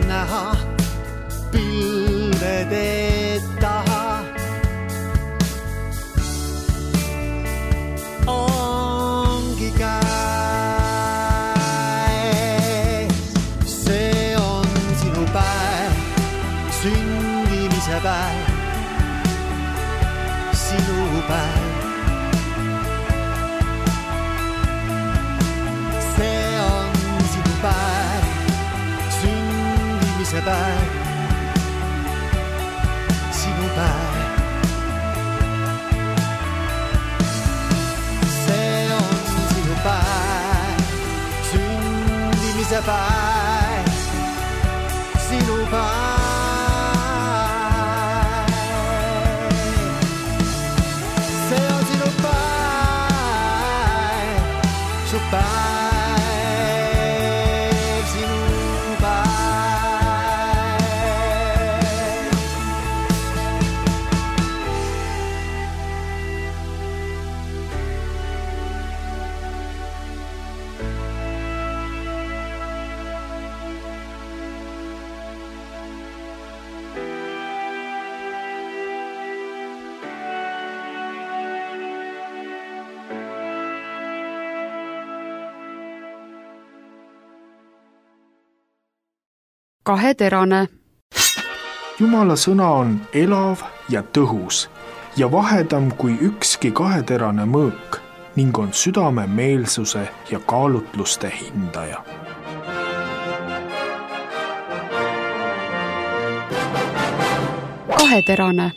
Näha pilvede taha ongi käes. See on sinu päev, sündimise päev, sinu päev. See on sinu päev, see päev, sinu päev. See on sinu päev, sündimise päev, sinu päev. See on sinu päev, su päev. Kaheterane. Jumala sõna on elav ja tõhus ja vahedam kui ükski kaheterane mõõk ning on südame meelsuse ja kaalutluste hindaja. Kaheterane.